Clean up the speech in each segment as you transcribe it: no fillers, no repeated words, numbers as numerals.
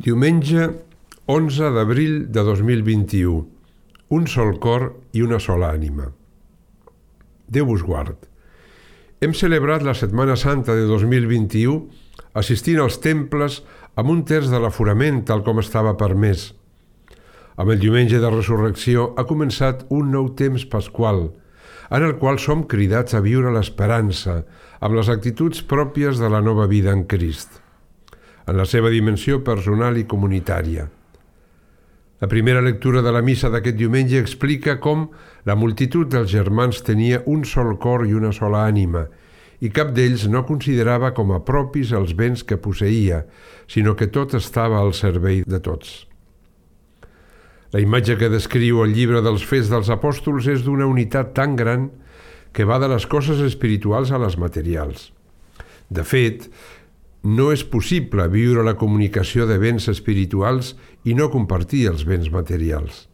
Diumenge 11 d'abril de 2021. Un sol cor i una sola ànima. Déu vos guard. Hem celebrat la Setmana Santa de 2021 assistint als temples amb un terç de l'aforament tal com estava permès. Amb el diumenge de resurrecció ha començat un nou temps pasqual, en el qual som cridats a viure l'esperança amb les actituds pròpies de la nova vida en Crist, en la seva dimensió personal i comunitària. La primera lectura de la missa d'aquest diumenge explica com la multitud dels germans tenia un sol cor i una sola ànima, i cap d'ells no considerava com a propis els béns que posseïa, sinó que tot estava al servei de tots. La imatge que descriu el llibre dels Fets dels Apòstols és d'una unitat tan gran que va de les coses espirituals a les materials. De fet, no és possible viure la comunicació de béns espirituals i no compartir els béns materials.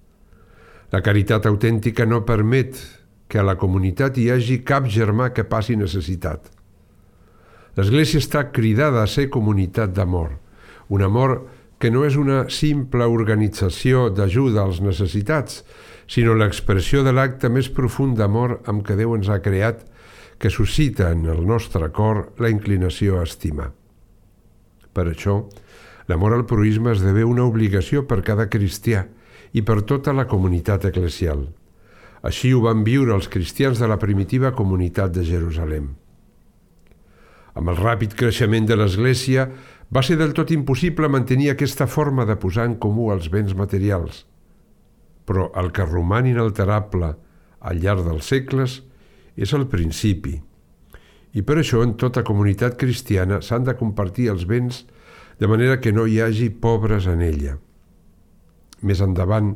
La caritat autèntica no permet que a la comunitat hi hagi cap germà que passi necessitat. L'Església està cridada a ser comunitat d'amor, un amor que no és una simple organització d'ajuda als necessitats, sinó l'expressió de l'acte més profund d'amor amb què Déu ens ha creat, que suscita en el nostre cor la inclinació a estimar. Per això, l'amor al proïsme esdevé una obligació per cada cristià i per tota la comunitat eclesial. Així ho van viure els cristians de la primitiva comunitat de Jerusalem. Amb el ràpid creixement de l'Església, va ser del tot impossible mantenir aquesta forma de posar en comú els béns materials. Però el que roman inalterable al llarg dels segles és el principi. I per això en tota comunitat cristiana s'han de compartir els béns de manera que no hi hagi pobres en ella. Més endavant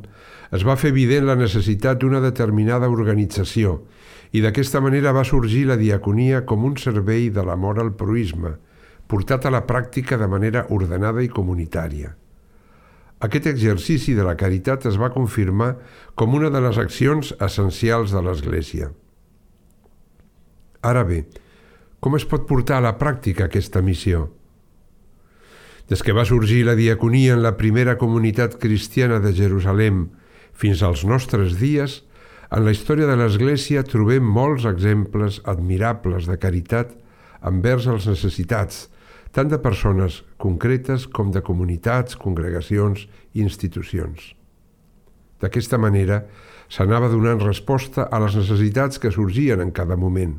es va fer evident la necessitat d'una determinada organització i d'aquesta manera va sorgir la diaconia com un servei de l'amor al proïsme, portat a la pràctica de manera ordenada i comunitària. Aquest exercici de la caritat es va confirmar com una de les accions essencials de l'Església. Ara bé, com es pot portar a la pràctica aquesta missió? Des que va sorgir la diaconia en la primera comunitat cristiana de Jerusalem fins als nostres dies, en la història de l'Església trobem molts exemples admirables de caritat envers els necessitats, tant de persones concretes com de comunitats, congregacions i institucions. D'aquesta manera, s'anava donant resposta a les necessitats que sorgien en cada moment.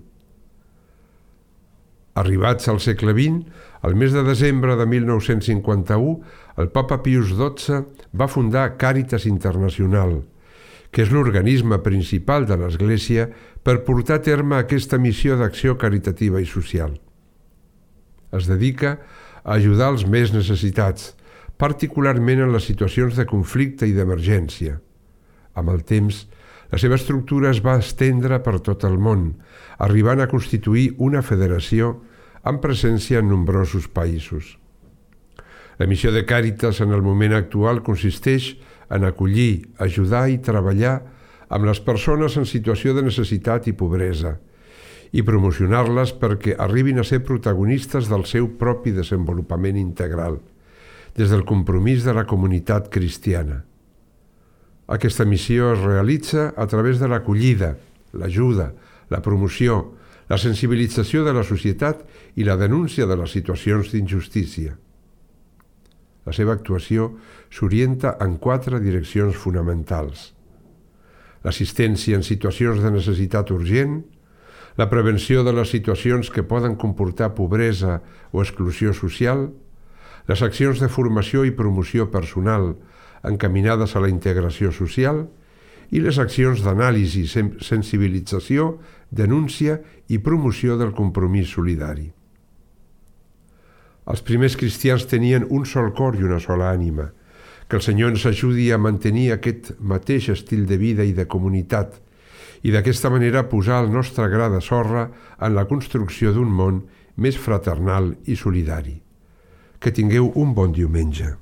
Arribats al segle XX, el mes de desembre de 1951, el papa Pius XII va fundar Càritas Internacional, que és l'organisme principal de l'Església per portar a terme aquesta missió d'acció caritativa i social. Es dedica a ajudar els més necessitats, particularment en les situacions de conflicte i d'emergència. Amb el temps, la seva estructura es va estendre per tot el món, arribant a constituir una federació amb presència en nombrosos països. La missió de Càritas en el moment actual consisteix en acollir, ajudar i treballar amb les persones en situació de necessitat i pobresa i promocionar-les perquè arribin a ser protagonistes del seu propi desenvolupament integral, des del compromís de la comunitat cristiana. Aquesta missió es realitza a través de l'acollida, l'ajuda, la promoció, la sensibilització de la societat i la denúncia de les situacions d'injustícia. La seva actuació s'orienta en 4 direccions fonamentals: l'assistència en situacions de necessitat urgent, la prevenció de les situacions que poden comportar pobresa o exclusió social, les accions de formació i promoció personal encaminades a la integració social i les accions d'anàlisi, sensibilització, denúncia i promoció del compromís solidari. Els primers cristians tenien un sol cor i una sola ànima. Que el Senyor ens ajudi a mantenir aquest mateix estil de vida i de comunitat i d'aquesta manera posar el nostre gra de sorra en la construcció d'un món més fraternal i solidari. Que tingueu un bon diumenge.